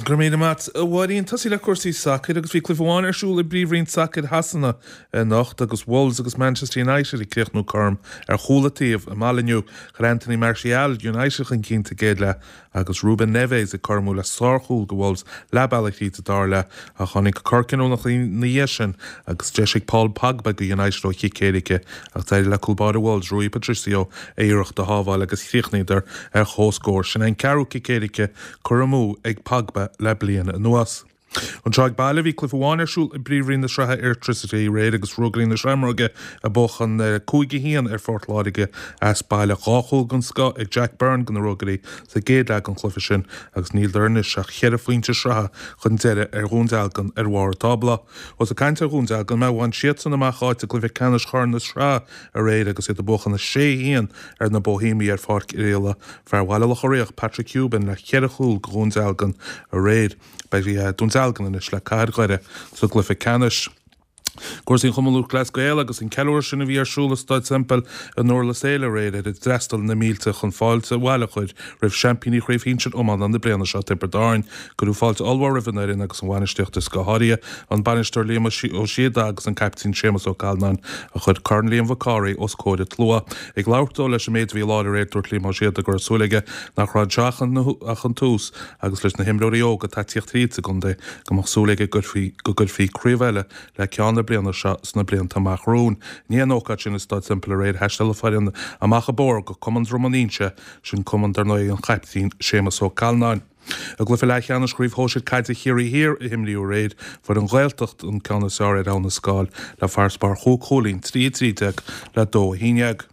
Go raibh míle maith a Mháirín. Tosaí le cúrsaí sacair agus bhí cluiche amháin ar siúl i bPríomhroinn Sacair Shasana anocht agus Wolves agus Manchester United ag críochnú cothrom ar chúl an taobh i Molineux. Chuir Anthony Martial United chun cinn sa gcéad leath agus Ruben Neves ag cothromú le sárchúl do Wolves leath bealaigh thríd sa dara leath ach tháinig cor cinniúnach ina dhiaidh sin agus deis ag Paul Pogba do United ó chic éirice ach d'éirigh le cúl báire Wolves, Rui Patricio, a iarracht a shábháil agus chríochnaíodar ar chomhscór. Sin é an ceathrú cic éirice curtha amú ag Pogba le bliain anuas. Anseo ag baile, bhí cluiche amháin ar siúl i bPríomhroinn na Sraithe Airtricity aréir agus Ruagairí na Seamróige ag buachan 5-1 ar Phort Láirge as baile. 2 chúl den scoth ag Jack Byrne do na Ruagairí sa gcéad leath den chluiche sin agus níleadar anois ach cheithre phointe sraithe chun deiridh ar Dhún Dealgan ar bharr an tábla. Ós ag caint ar Dhún Dealgan mé, bhain siadsan amach áit i gcluiche ceannais Chorn na Sraithe aréir agus iad ag buachan 6-1 ar na Bohemiaigh ar Pháirc Oirialla. Fear Bhaile Locha Riach, Patrick Hoban le cheithre chúl do Dhún Dealgan aréir. Beidh Dún Dealgan anois le Cathair Dhoire sa gcluiche ceannais. Cúrsaí an Chumann Lúthchleas Gael agus an ceiliúradh sin a bhí ar siúl i Staid Semple i nDurlas Éile aréir ar a d'fhreastail na mílte chun fáilte abhaile a chur roimh seaimpíní Chraobh Shinsir Iomána na bliana seo, Tiobraid Árann. Cuireadh fáilte ollmhór roimh an fhoireann agus an bhainistíocht is go háirithe an bainisteoir Liam Ó Síoda agus an caiptín Séamus Ó Calláin a chuir Corn Liam Mhic Cárthaigh os comhair an tslua. Ag labhairt dó leis an méid a bhí i láthair aréir dúirt Liam Ó Síoda go raibh súil aige nach raibh anseo ach an tús agus leis na himreoirí óga atá ag tíocht thríd sa gcontae, go mbeadh súil aige go gcuirfí craobh eile le ceann na bliana seo sna blianta amach romhainn. I ndiaidh an ócáid sin i Staid Semple aréir, thaisteal an foireann amach an bóthar go Cumann Dhroim an Inse, sin cumann dar ndóigh an chaiptín Séamus Ó Calláin. I gcluiche leathcheannais Chraobh Shóisir Caide Chiarraí Thiar a himríodh aréir, fuair an Ghaeltacht an ceann is fearr ar Abha na Scáil le farasbarr chúig chúilín, 3 13 le 2 11.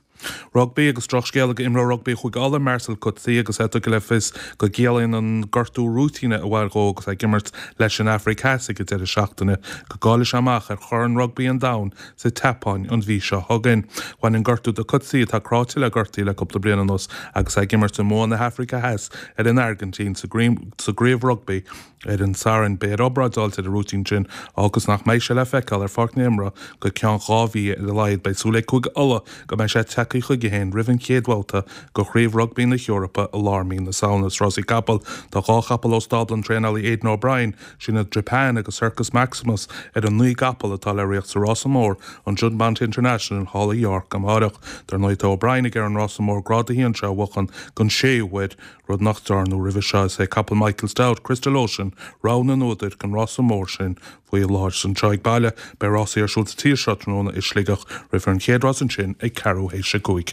Rugbaí agus drochscéala do imreoir rugbaí Chúige Uladh, Marcel Coetzee agus é tugtha le fios go gciallaíonn an gortú rúitíne a bhain dhó agus é ag imirt leis an Afraic Theas ag an deireadh seachtaine go gcaillfidh sé amach ar Chorn Rugbaí an Domhain sa tSeapáin an mhí seo chugainn. Bhain an gortú do Coetzee, atá cráite le gortaí le cúpla bliain anuas agus é ag imirt i mbua na hAfraice Theas ar an Airgintín sa gcraobh rugbaí Ar an Satharn, beidh air obráid a fháilt ar an rúitín sin agus nach mbeidh sé le feiceáil ar pháirc na himeartha go ceann 2 mhí ar a laghad. Beidh súil ag Cúige Uladh go mbeidh sé tagtha chuige féin roimh an chéad bhabhta de Chraobh Rugbaí na hEorpa i lár mí na Samhna. Sna rásaí capall, tá 2 chapall ó stábla an traenálaí Aidan O'Brien, sin iad Japan agus Circus Maximus, ar an 9 gcapall atá le ritheacht sa rása mór, an Juddmonte International thall i York amárach. Dar ndóigh tá O'Brien ag iarraidh an rása mór Grád 1 seo a bhuachan don séú huair. Rud nach ndearnadh roimhe seo is é capall Michael Stoute, Crystal Ocean, rogha na n-údar don rása mór sin faoi láthair. Is anseo ag baile, beidh rásaí ar siúl sa tír seo tráthnóna i Sligeach. Rithfear an chéad rás ansin ag ceathrú théis a 5.